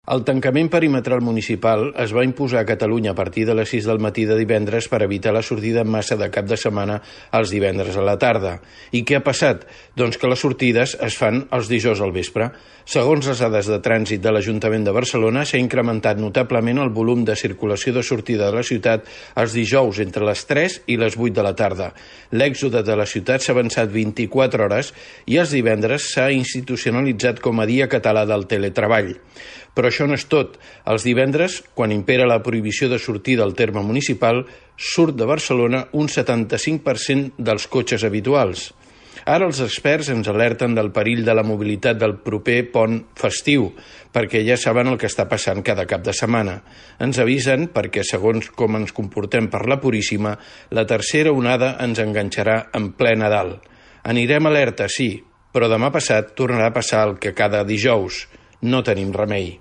El tancament perimetral municipal es va imposar a Catalunya a partir de les 6 del matí de divendres per evitar la sortida en massa de cap de setmana els divendres a la tarda. I què ha passat? Doncs que les sortides es fan els dijous al vespre. Segons les dades de trànsit de l'Ajuntament de Barcelona, s'ha incrementat notablement el volum de circulació de sortida de la ciutat els dijous entre les 3 i les 8 de la tarda. L'èxode de la ciutat s'ha avançat 24 hores i els divendres s'ha institucionalitzat com a Dia Català del Teletreball. Però això no és tot. Els divendres, quan impera la prohibició de sortir del terme municipal, surt de Barcelona un 75% dels cotxes habituals. Ara els experts ens alerten del perill de la mobilitat del proper pont festiu, perquè ja saben el que està passant cada cap de setmana. Ens avisen perquè, segons com ens comportem per la Puríssima, la tercera onada ens enganxarà en ple Nadal. Anirem alerta, sí, però demà passat tornarà a passar el que cada dijous. No tenim remei.